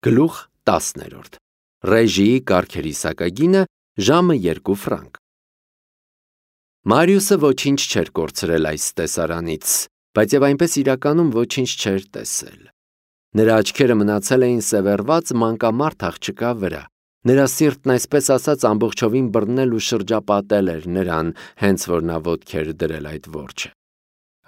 Գլուխ 10. Ռեժիի կարգերի սակագինը ժամը 2 ֆրանկ։ Մարիուսը ոչինչ չէր կորցրել այս տեսարանից, բայց և այնպես իրականում ոչինչ չէր տեսել։ Նրա աչքերը մնացել էին սևեռված մանկամարդ աղջկա վրա։ Նրա սիրտն այսպես ասած ամբողջովին բռնել ու շրջապատել էր նրան, հենց որ նա ոտք էր դրել այդ որջը։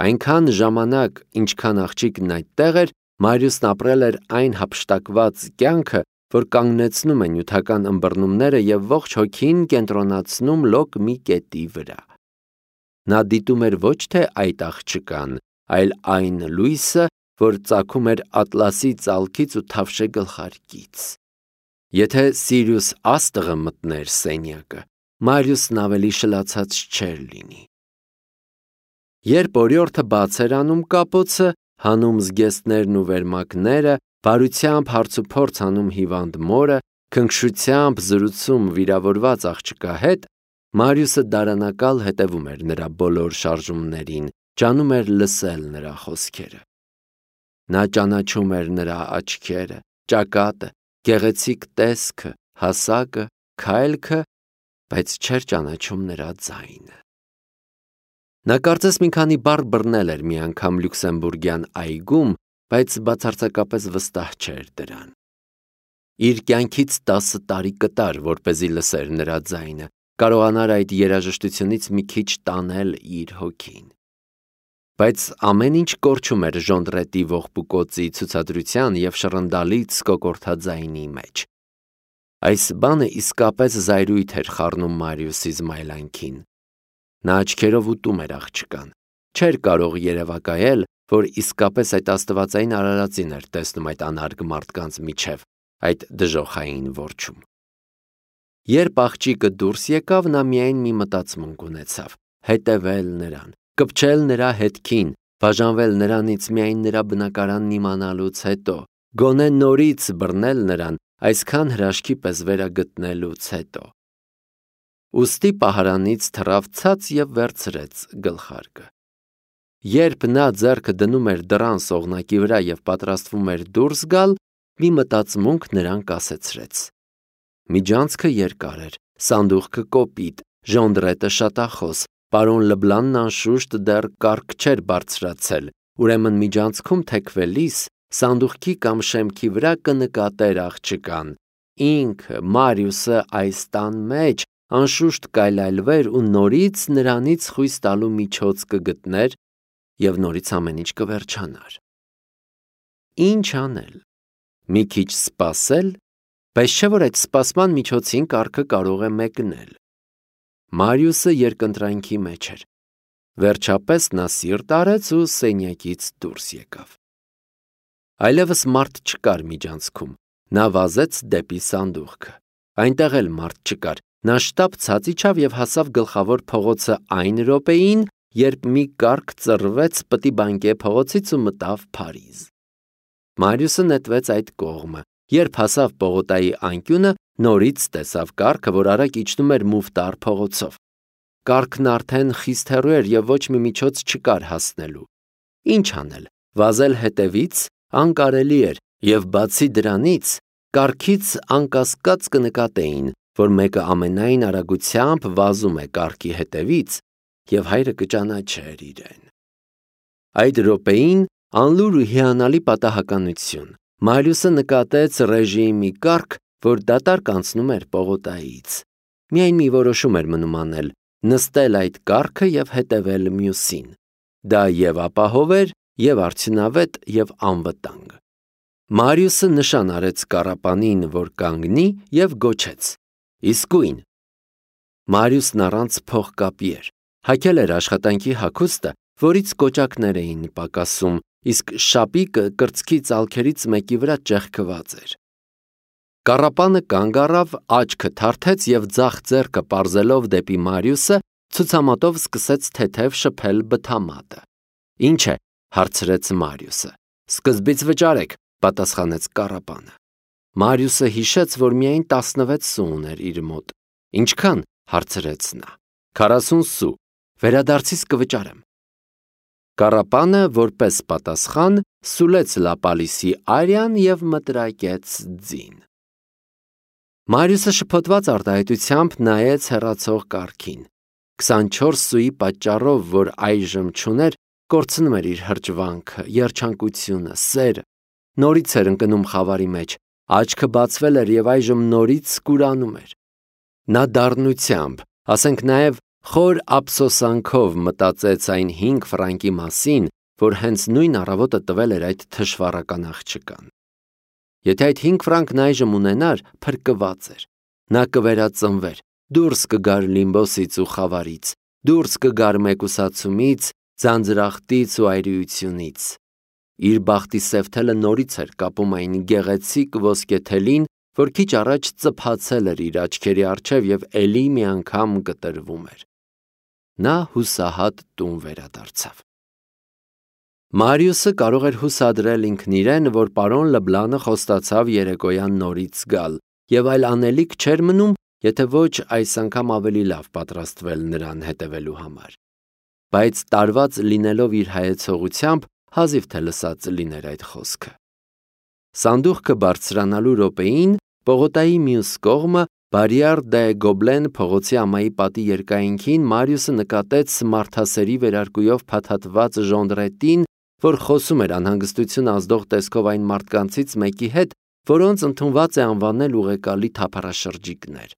Այնքան ժամանակ, ինչքան աղջիկն այդտեղ էր, Մարիուսն ապրել էր այն հափշտակված կյանքը, որ կանգնեցնում է նյութական ըմբռնումները և ողջ հոգին կենտրոնացնում լոկ մի կետի վրա։ Նա դիտում էր ոչ թե այդ աղջկան, այլ այն լույսը, որ ծագում էր ատլասի ծալքից ու թավշե գլխարկից։ Եթե Սիրիուս աստղը մտներ սենյակը, Մարիուսն ավելի շլացած չէր լինի։ Երբ օրիորդը բաց էր անում կապոցը, հանում զգեստներն ու վերմակները, բարությամբ հարցուփորձ անում հիվանդ մորը, քնքշությամբ զրուցում վիրավորված աղջկա հետ, Մարիուսը դարանակալ հետևում էր նրա բոլոր շարժումներին, ջանում էր լսել նրա խոսքերը։ Նա ճանաչում էր նրա աչքերը, ճակատը, գեղեցիկ տեսքը, հասակը, քայլքը, բայց չէր ճանաչում նրա ձայնը։ Նա կարծես մի քանի բառ բռնել էր մի անգամ լյուքսեմբուրգյան այգում, բայց բացարձակապես վստահ չէր դրան։ Իր կյանքից 10 տարի կտար, որպեսզի լսեր նրա ձայնը, կարողանար այդ երաժշտությունից մի քիչ տանել իր հոգին։ Բայց ամեն ինչ կորչում էր Ժոնդրետի ողբուկոցի ցուցադրության և շռնդալից կոկորդաձայնի մեջ։ Այս բանը իսկապես զայրույթ էր խառնում Մարիուսի զմայլանքին։ Նա աչքերով ուտում էր աղջկան, չէր կարող երևակայել, որ իսկապես այդ աստվածային արարածին էր տեսնում այդ անարգ մարդկանց միջև, այդ դժոխային որջում։ Երբ աղջիկը դուրս եկավ, նա միայն մի մտածմունք ունեցավ՝ հետևել նրան, կպչել նրա հետքին, բաժանվել նրանից միայն նրա բնակարանն իմանալուց հետո, գոնե նորից բռնել նրան, այսքան հրաշքի պես վերագտնելուց հետո։ Ուստի պահարանից թռավ ցած և վերցրեց գլխարկը։ Երբ նա ձեռքը դնում էր դռան սողնակի վրա և պատրաստվում էր դուրս գալ, մի մտածմունք նրան կասեցրեց։ Միջանցքը երկար էր, սանդուղքը կոպիտ, Ժոնդրետը շատախոս, պարոն Լբլանն անշուշտ դեռ կառք չէր բարձրացել, ուրեմն միջանցքում թեքվելիս սանդուղքի կամ շեմքի վրա կնկատեր աղջկան։ Ինքը, Մարիուսը այս տան մեջ անշուշտ կայլայլվեր ու նորից նրանից խույս տալու միջոց կգտներ և նորից ամեն ինչ կվերջանար։ Ինչ անել։ Մի քիչ սպասել, բայց չէ՞ որ այդ սպասման միջոցին կառքը կարող է մեկնել։ Մարիուսը երկընտրանքի մեջ էր։ Վերջապես նա սիրտ արեց ու սենյակից դուրս եկավ։ Այլևս մարդ չկար միջանցքում։ Նա վազեց դեպի սանդուղքը։ Այնտեղ էլ մարդ չկար։ Նա շտապ ցած իջավ և հասավ գլխավոր փողոցը այն րոպեին, երբ մի կառք ծռվեց Պտի Բանկե փողոցից ու մտավ Փարիզ։ Մարիուսը նետվեց այդ կողմը։ Երբ հասավ պողոտայի անկյունը, նորից տեսավ կառքը, որ արագ իջնում էր Մուֆտար փողոցով։ Կառքն արդեն խիստ հեռու էր և ոչ մի միջոց չկար հասնելու։ Ինչ անել։ Վազել հետևից անկարելի էր, և բացի դրանից, կառքից անկասկած կնկատեին, որ մեկը ամենայն արագությամբ վազում է կառքի հետևից, և հայրը կճանաչեր իրեն։ Այդ րոպեին անլուր ու հիանալի պատահականություն։ Մարիուսը նկատեց Ռեժիի մի կառք, որ դատարկ անցնում էր պողոտայից։ Միայն մի որոշում էր մնում անել՝ նստել այդ կառքը և հետևել մյուսին։ Դա և ապահով էր, և արդյունավետ, և անվտանգ։ Մարիուսը նշան արեց կառապանին, որ կանգնի, և գոչեց. Իսկույն։ Մարիուսն առանց փողկապի էր։ Հագել էր աշխատանքի հագուստը, որից կոճակներ էին պակասում, իսկ շապիկը կրծքի ծալքերից մեկի վրա ճեղքված էր։ Կառապանը կանգ առավ, աչքը թարթեց և ձախ ձեռքը պարզելով դեպի Մարիուսը, ցուցամատով սկսեց թեթև շփել բթամատը։ Ինչ է, հարցրեց Մարիուսը։ Սկզբից վճարեք, պատասխանեց կառապանը։ Մարիուսը հիշեց, որ միայն 16 սու ուներ իր մոտ։ Ինչքան, հարցրեց նա։ 40 սու, վերադարձիս կվճարեմ։ Կառապանը, որպես պատասխան, սուլեց Լապալիսի արյան և մտրակեց ձին։ Մարիուսը շփոթված արտահայտությամբ նայեց հեռացող կառքին։ 24 սուի պատճառով, որ այժմ չուներ, կորցնում էր իր հրճվանքը, երջանկությունը, սերը։ Նորից էր ընկնում խավարի մեջ, աչքը բացվել էր և այժմ նորից կուրանում էր։ Նա դառնությամբ, ասենք նաև խոր ափսոսանքով մտածեց այն 5 ֆրանկի մասին, որ հենց նույն առավոտը տվել էր այդ թշվառական աղջկան։ Եթե այդ 5 ֆրանկն այժմ ունենար, փրկված էր։ Նա կվերածնվեր, դուրս կգար լիմբոսից ու խավարից, դուրս կգար մեկուսացումից, ձանձրախտից ու այրիությունից։ Իր բախտի սև թելը նորից էր կապում այն գեղեցիկ ոսկե թելին, որ քիչ առաջ ծփացել էր իր աչքերի առջև և էլի մի անգամ կտրվում էր։ Նա հուսահատ տուն վերադարձավ։ Մարիուսը կարող էր հուսադրել ինքն իրեն, որ պարոն Լբլանը խոստացավ երեկոյան նորից գալ, և այլ անելիք չէր մնում, եթե ոչ այս անգամ ավելի լավ պատրաստվել նրան հետևելու համար։ Բայց տարված լինելով իր հայեցողությամբ, հազիվ թե լսած լիներ այդ խոսքը։ Սանդուղքը բարձրանալու րոպեին պողոտայի մյուս կողմը Բարիար դե Գոբլեն փողոցի ամայի պատի երկայնքին Մարիուսը նկատեց մարդասերի վերարկուով փաթաթված ժոնդրետին, որ խոսում էր անհանգստություն ազդող տեսքով այն մարդկանցից մեկի հետ, որոնց ընդունված է անվանել ուղեկալի թափառաշրջիկներ։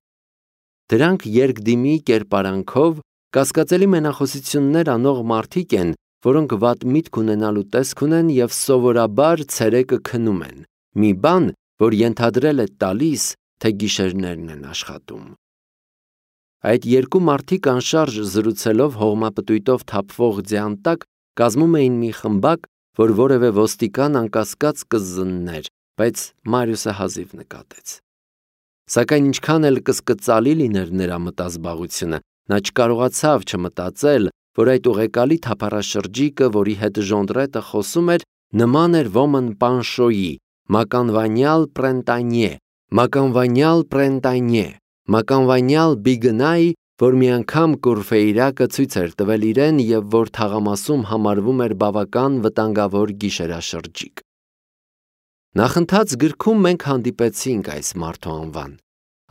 Դրանք երկդիմի կերպարանքով կասկածելի մենախոսություններ անող մարդիկ են, որոնք վատ միտք ունենալու տեսք ունեն և սովորաբար ցերեկը քնում են, մի բան, որ ենթադրել է տալիս, թե գիշերներն են աշխատում։ Այդ երկու մարդիկ անշարժ զրուցելով հողմապտույտով թափվող ձյան տակ կազմում էին մի խմբակ, որ որևէ ոստիկան անկասկած կզններ, բայց Մարիուսը հազիվ նկատեց։ Սակայն ինչքան էլ կսկծալի լիներ նրա մտազբաղությունը, նա չկարողացավ չմտածել, որ այդ ուղեկալի թափառաշրջիկը, որի հետ ժոնդրետը խոսում էր, նման էր ոմն Պանշոյի, մականվանյալ Բիգնայի, որ մի անգամ Կուրֆեյրակը ցույց էր տվել իրեն և որ թաղամասում համարվում էր բավական վտանգավոր գիշերաշրջիկ։ Նախընթաց գրքում մենք հանդիպեցինք այս մարդու անվան։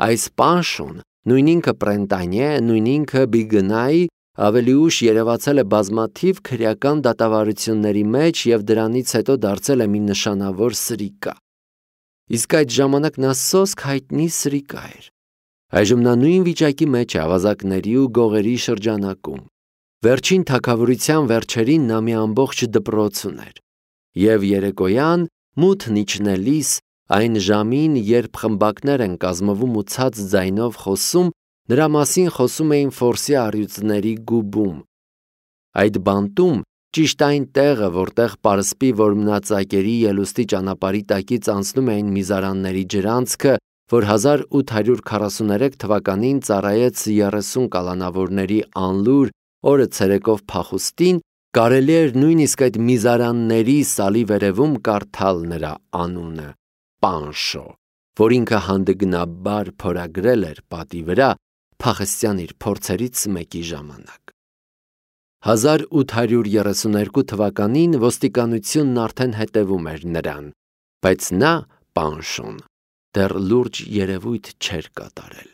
Այս Պանշոն, նույն ինքը Պրենտանյե, նույն ինքը Բիգնայի, ավելի ուշ երևացել է բազմաթիվ քրեական դատավարությունների մեջ և դրանից հետո դարձել է մի նշանավոր սրիկա։ Իսկ այդ ժամանակ նա սոսկ հայտնի սրիկա էր։ Այժմ նա նույն վիճակի մեջ է ավազակների ու գողերի շրջանակում։ Վերջին թագավորության վերջերին նա մի ամբողջ դպրոց ուներ։ Եվ երեկոյան, մութն իջնելիս, այն ժամին, երբ խմբակներ են կազմվում ու ցած ձայնով խոսում, նրա մասին խոսում էին ֆորսի առյուծների գուբում։ Այդ բանտում, ճիշտ այն տեղը, որտեղ պարսպի որմնածակերի ելուստի ճանապարհի տակից անցնում էին միզարանների ջրանցքը, որ 1843 թվականին ծառայեց 30 կալանավորների անլուր օրը ցերեկով փախուստին, կարելի էր նույնիսկ այդ միզարանների սալի վերևում կարդալ նրա անունը՝ Պանշո, որ ինքը հանդգնաբար փորագրել էր պատի վրա փախստյան իր փորձերից մեկի ժամանակ։ 1832 թվականին ոստիկանությունն արդեն հետևում էր նրան, բայց նա, Պանշոն, դեռ լուրջ երևույթ չէր կատարել։